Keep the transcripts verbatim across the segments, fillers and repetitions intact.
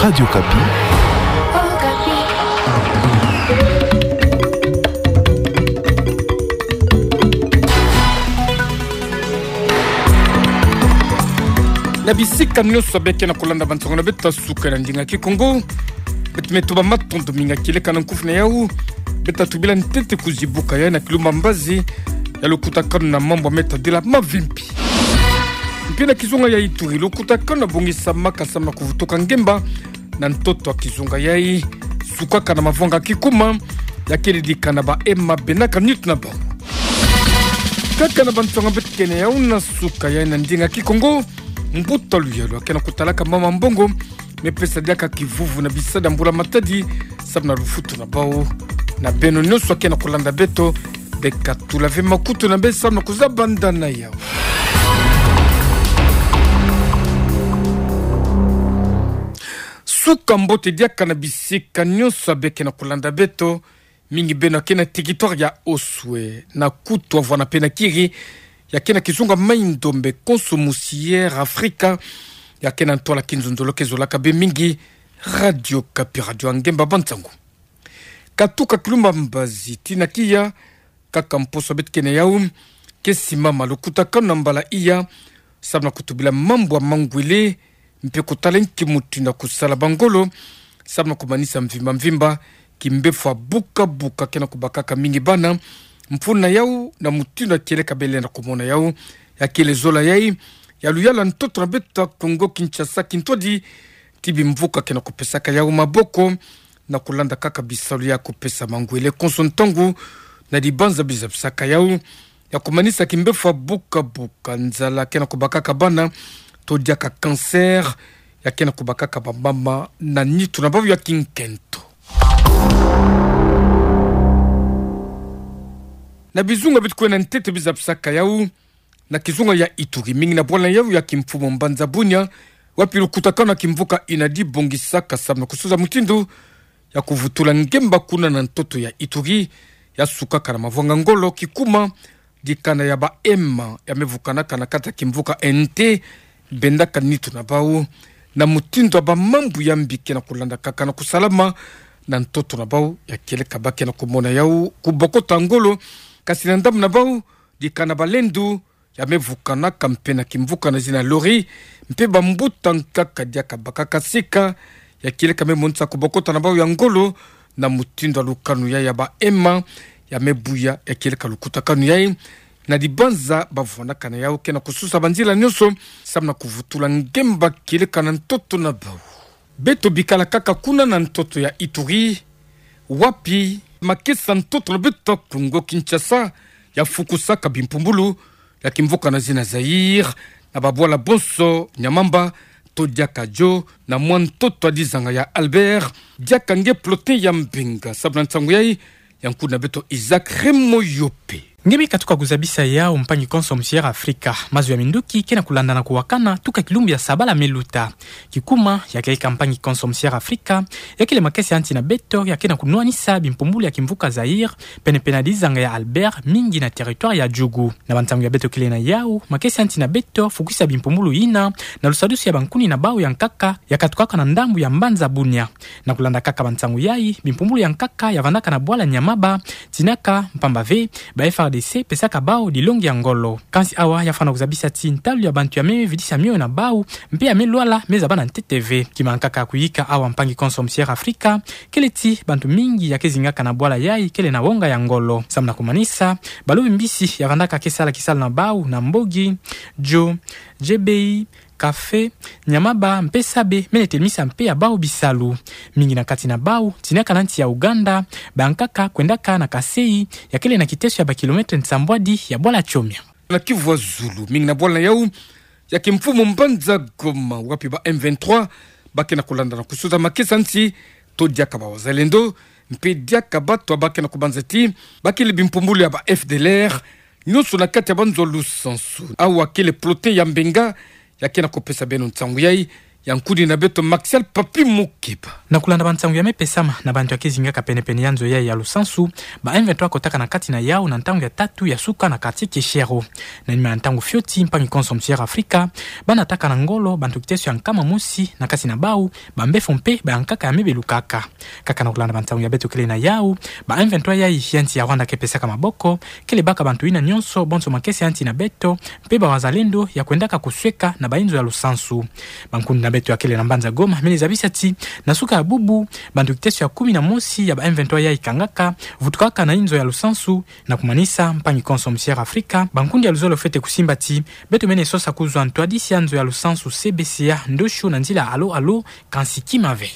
Radio Okapi. Na bisika nyonso beke na kolanda bansango na beto ya suka na ndinga Kikongo, beto me tuba matondo mingi kieleka na nkufi na yau. Beto tubila ntete kuzibuka ya na kilumbu mbazi ya lukutakanu na mambu ya me tadila mavimpi. Mpe na kizunga ya Ituri, lukutakanu ya bongisamaka samu na kuvutuka ngemba na ntoto ya kizunga yayi, sukaka na mavwanga kikuma, ya kele dikana ba ema bena ka nitu na bau. Kaka na bansango beto kena yau na suka yayi na ndinga Kikongo, mbuta luyalu ya kena kutalaka mama mbongo, me pesa diaka kivuvu na bisadi ya mbula matadi, samu na lufutu na bau. Na beno nyonso ya kena kolanda beto, beka tula ve makutu na beno samu na kuzaba nda na yau. Suka mbote diaka na bisika nyonso ya beke na kolanda beto, mingi beno ya kena territoire ya Oswe, na Kutu, Avwana mpe na Kiri, ya kena kizunga Mai-Ndombe, konso musi Air Africa, ya kena ntwala kinzonzolo ke zolaka be mingi Radio Okapi, radio ya ngemba bansango. Katuka kilumbu mbazi tii na kiya, kaka mposo beto kena yau, ke simama lukutakanu na mbala iya, samu na kutubila mambu ya mangwele, mpe kutala nki mutindu ya kusala bangolo, samu na kumanisa mvimba mvimba kimbefo ya buka buka kena kubakaka mingi bana, mfunu na yau na mutindu ya kieleka bele na kumona yau, ya kele zola yayi ya luyalu ya ntoto na beto ya Kongo Kinshasa, kintwadi ti bimvuka kena kupesaka yau maboko, na kulanda kaka bisalu ya kupesa mangwele konso ntangu, na dibanza bizabisaka yau ya kumanisa kimbefo ya buka buka, nzala kena kubakaka bana, to diaka cancer, ya kena kubakaka bamama na nitu na bau ya kinkento. Na bizunga beto kwenda ntete bizabisaka yau, na kizunga ya Ituri, mingi na bwala yau ya kimfumu mbanza Bunia, wapi lukutakanu ya kimvuka Inadi bongisaka samu na kusuza mutindu ya kuvutula ngemba kuna na ntoto ya Ituri, ya sukaka na mavwanga ngolo kikuma, dikana ya ba ema ya me vukanaka na kati ya kimvuka Ente, benda ka nitu na bau, na mutindu ya bamambu ya mbi kena kulandakaka na kusalama na ntoto na bau, ya kieleka ba kena kumona yau kubokota ngolo, kasi na ndambu na bau, dikana balendu ya me vukanaka mpe na kimvuka na zina lori, mpe bambuta nkaka diaka bakaka sika, ya kieleka me monisa kubokota na bau ya ngolo, na mutindu ya lukanu ya ya ba ema ya me buya, ya kieleka lukutakanu yayi, na dibanza bavwanaka na yau kena kususa banzila nyonso, samu na kuvutula ngemba kieleka na ntoto na bau. Beto bikala kaka kuna na ntoto ya Ituri, wapi makesa ntoto na beto Kongo Kinshasa ya fukusaka bimpumbulu ya kimvuka na zina Zaïre, na babwala bonso Nyamamba, to diaka Djo, na mwa ntoto ya dizanga ya Albert, diaka nge Plotin ya Mbenga, samu na nsangu yayi, ya nkundi na beto Isaac Remoyope. Nge me katuka kuzabisa yau, mpangi konso musi Air Africa, mazu ya minduki kena kulandana kuwakana tuka kilumbu ya sabala me luta. Kikuma, ya kieleka mpangi konso musi Air Africa, ya kele makesa ya nsi na beto ya kena kunwanisa bimpumbulu ya kimvuka Zaïre, pene pene ya dizanga ya Albert, mingi na territoire ya Djugu. Na bansangu ya beto kele na yau, makesa ya nsi na beto fukisa bimpumbulu yina na lusadusu ya bankuni na bau ya nkaka ya katukaka na ndambu ya mbanza Bunia. Na kulanda kaka bansangu yayi, bimpumbulu ya nkaka ya vandaka na bwala Nyamaba, tinaka mpamba ve ba F A R D C pesaka bau dilongi ya ngolo. Kansi awa ya fwana kuzabisa ti ntalu ya bantu ya me vidisa mioyo na bau, mpe ya me lwala me zaba na ntete ve. Kima nkaka ya kuyika awa, mpangi konso musi Air Africa, kele ti bantu mingi ya ke zingaka na bwala yayi kele na wonga ya ngolo. Samu na kumanisa, balobi mbisi ya vandaka ke sala kisalu na bau na Mbogi, Djo, Djebei, Kafe, Nyamaba mpe Sabe, mene telemisa mpe ya bau bisalu. Mingi na kati na bau tinaka na nsi ya Ouganda, bankaka kwendaka na Kasaï, ya kele na kiteso ya ba kilomètre nsambwadi ya bwala Tchomia. Na Kivu ya zulu, mingi na bwala yau ya kimfumu mbanza Goma, wapi ba M vingt-trois ba kena kulandana kusuza makesa nsi, to diaka ba wazalendo, mpe diaka bato ba kena kubanza ti ba kele bimpumbulu ya ba F D L R, nyonso na kati ya banzo lusansu. Awa kele Plotin ya Mbenga ya kena kupesa beno nsangu yayi, Ya nkuni na beto Martial Papi Mukeba. Na kulanda bansangu ya mepesama na bantu ya kizingaka penepene ya nzo yai ya lusansu, ba M vingt-trois kotaka na kati na yau na ntangu ya tatu ya suka na quartier Keshero. Na nima ya ntangu fioti, mpangi konso musi Air Africa banataka na ngolo bantu kiteso ya nkama mosi na kati na bau, bambefo mpe bayankaka ya mebelukaka. Kaka na kulanda bansangu ya beto kele na yau, ba M vingt-trois yai ya nsi ya Rwanda ke pesaka maboko, kele baka bantu yina nyonso bonso makesa ya nsi na beto, mpe bawazalendo ya kwendaka kusweka na bainzo ya lusansu. Bankundi na beto ya kele na mbanza Goma mele zabisa ti, na suka ya bubu, bantu kiteso ya kumi na mosi ya ba M vingt-trois yai kangaka, vutukaka na inzo ya lusansu, na kumanisa mpangi konso musi Air Africa, bankundi ya luzolo fwete kusimba ti, beto mene sosa kuzwa ntwadisi ya nzo ya lusansu C B C A ndosho na nzila alo alo, kansi kima ve.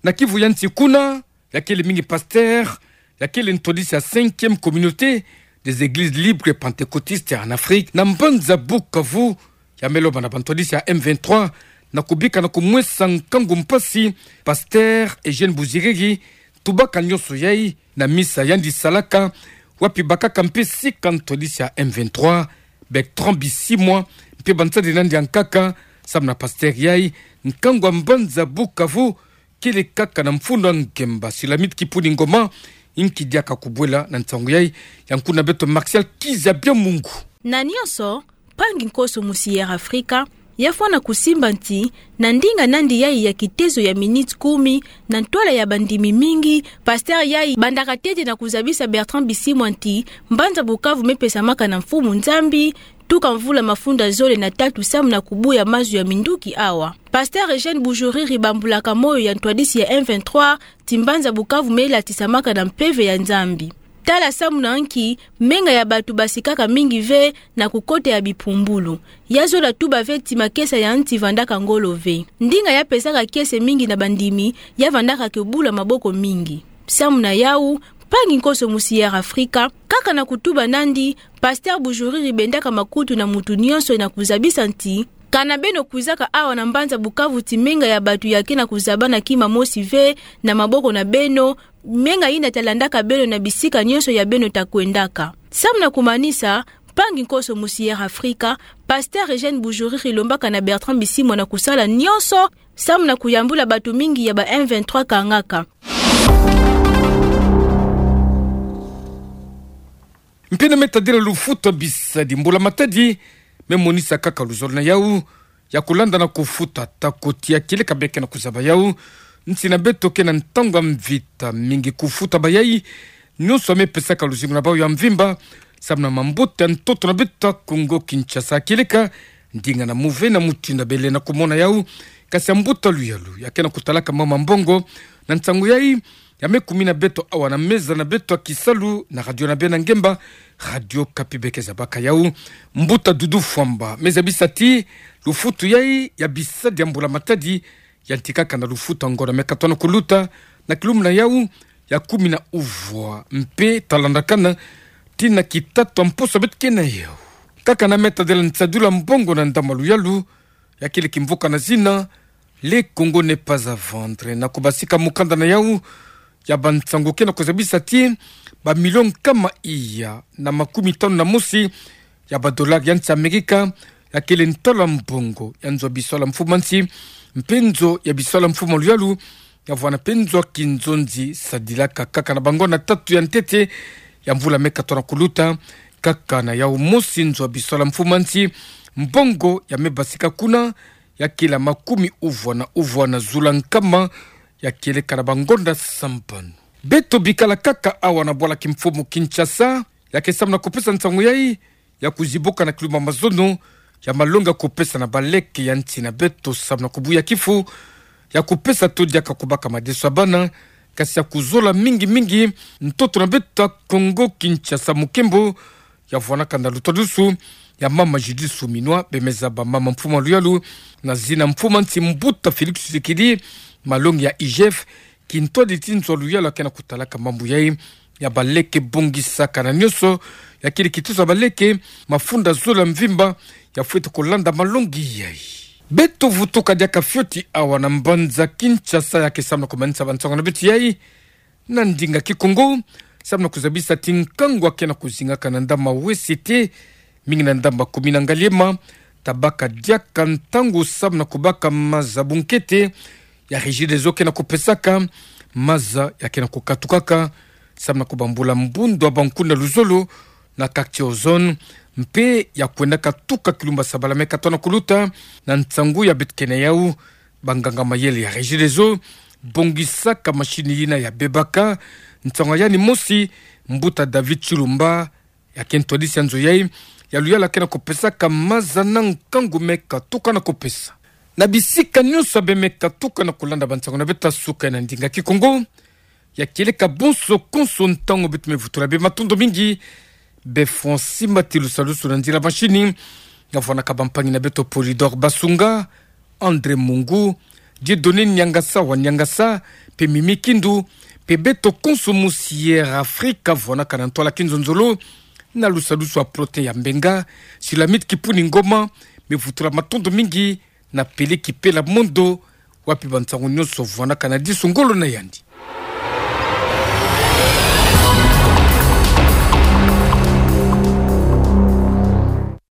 Na Kivu ya nsi kuna, ya kele mingi pasteur ya kele ntwadisi ya cinquième communauté des églises libres pentecôtistes en Afrique na mbanza Bukavu, ya me lomba na bantwadisi ya M vingt-trois na kubika na kumwesa nkangu mpasi pasteur Eugène Bujiriri, tubaka nyonso yai na misa yandi salaka, wapi bakaka mpe sika ntwadisi ya M vingt-trois, Bertrand Bisimwa, mpe bansadi nandi ya nkaka, samu na pasteur yai, nkangu ya mbanza Bukavu, kele kaka na mfunu a ngemba Silamit Kipuni Ngoma, inki diaka kubwela na nsangu yai, ya nkuni na beto Martial Kizabia Mungu. Na nyonso, mpangi nkoso musi Air Africa, ya fwana kusimba nti, na ndinga nandi yai ya kitezo ya minutes kumi, na ntwala ya bandimi mingi, pasteur yai bandaka ntete na kuzabisa Bertrand Bisimwa nti, mbanza Bukavu me pesamaka na Mfumu Nzambi, tuka mvula mafunda zole na tatu samu na kubuya mazu ya minduki awa. Pasteur Eugène Bujiriri bambulaka moyo ya ntwadisi ya M vingt-trois, ti mbanza Bukavu me latisamaka na mpeve ya Nzambi. Tala samu na nki menga ya batu basikaka mingi ve na kukota ya bipumbulu. Ya zola tuba ve ti makesa ya nti vandaka ngolo ve. Ndinga ya pesaka kiese mingi na bandimi, ya vandaka ke bula maboko mingi. Samu na yau, mpangi nkoso musi Air Africa, kaka na kutuba nandi, pasteur Bujiriri bendaka makutu na mutu nyonso na kuzabisa nti, kana beno kwizaka awa na mbanza Bukavu ti menga ya batu ya ke na kuzabana kima mosi ve na maboko na beno, menga yina ta landaka beno na bisika nyonso ya beno ta kwendaka. Samu na kumanisa, mpangi nkoso musi Air Africa, pasteur Eugène Bujiriri lombaka na Bertrand Bisimwa na kusala nyonso, samu na kuyambula batu mingi ya ba M vingt-trois kangaka. Mpe na metadila lufutu a bisadi, mbula matadi me monisa kaka luzolo na yau, ya kulanda na kufuta, ta koti ya kieleka beke na kuzaba yau, nsi na beto ke na ntangu ya mvita, mingi kufuta bayai nyonso ya me pesaka luzingu na bau ya mvimba, samu na mambuta ya ntoto na beto ya Kongo Kinshasa kieleka, ndinga na muve na mutindu ya bele na kumona yau, kasi ya mbuta luyalu ya ke na kutalaka mama mbongo, na nsangu yai, ya me kumina beto awa na meza na beto ya kisalu na radio na beno ya ngemba, Radio Okapi beke zabaka yau. Mbuta Doudou Fwamba me zabisa ti, lufutu yai ya bisadi ya mbula matadi, yantikaka na lufutu ya ngonda me katono kuluta, na kilumbu na yau, ya kumi na uvwa, mpe ta landakana tii na kitatu ya mposo beto ke na yau. Kaka na metadila nsadulu ya mbongo na ndambu ya luyalu, ya kele kimvuka na zina Le Congo n'est pas à vendre, na kubasika mukanda na yau ya bansangu ke na kuzabisa ti, ba milio nkama iya na makumi tanu na mosi ya ba dolari ya nsi Amerika, ya kele ntalu ya mbongo ya nzo ya biswala mfumu a nsi, mpe nzo ya biswala mfumu a luyalu, ya vwanda mpe nzo ya kinzonzi sadilaka kaka na bangonda tatu ya ntete ya mvula me katono kuluta. Kaka na yau mosi, nzo ya biswala mfumu a nsi, mbongo ya me basika kuna, ya kele ya makumi uvwa na uvwa na zula nkama, ya kieleka na bangonda sambanu. Beto bikala kaka awa na bwala kimfumu Kinshasa, ya ke samu na kupesa nsangu yai, ya kuzibuka na kilumbu ya mazono, ya malongi ya kupesa na baleke ya nsi na beto samu na kubuya kifu, ya kupesa to diaka kubaka madeso ya bana, kasi ya kuzola mingi mingi ntoto na beto ya Kongo Kinshasa mukembo, ya vwanaka na lutwadusu ya mama Judith Suminwa, bemeza ba mama mfumu a luyalu, na zina mfumu a nsi mbuta Félix Tshisekedi, malongi ya I G F, kintwadi ti nzo a luyalu ya ke na kutalaka mambu yai, ya baleke bongisaka na nyonso, ya kele kitoso ya baleke, mafunda zole ya mvimba, ya fwete kulanda malongi yai. Beto vutuka diaka fioti awa na mbanza Kinshasa ya ke samu na kumanisa bansangu na beto yai na ndinga Kikongo, samu na kuzabisa ti nkangu ya ke na kuzingaka na ndambu ya W C T, mingi na ndambu ya commune ya Ngaliema, tabaka diaka ntangu samu na kubaka maza bunkete ya Regideso ke na kupesaka, maza ya ke na kukatukaka samu na kubambula mbundu ya bankundu ya luzolo na quartier Ozone, mpe ya kwendaka tuka kilumbu sabala mekatona kuluta. Na nsangu ya beto ke na yau, banganga mayele ya Regideso bongisaka mashini yina ya bebaka. Nsangu ya yandi mosi, mbuta David Chilumba, ya ke ntwadisi ya nzo yai ya luyala ke na kupesaka maza na nkangu mekatuka na kupesa. Na bisika nyonso ya bemekatuka na kulanda bansangu na beto ya suka ya na ndinga Kikongo, ya kieleka bonso konso ntangu beto mevutula bie matondo mingi. Be Francis Matilusalusu na nzila mashini, ya vwanaka bampangi na beto Polydor Basunga, André Mungu, Dieudonné Niangasa wa Niangasa, mpe Mimi Kindu, mpe beto konso musi Air Afrika vwanaka na ntwala kinzonzolo, na lusalusu ya Prote ya Mbenga, Sulamite Kipuni Ngoma, mevutula matondo mingi na Pele Kipela Mondo, wapi bansangu nyonso vwanaka na disu ngolo na yandi.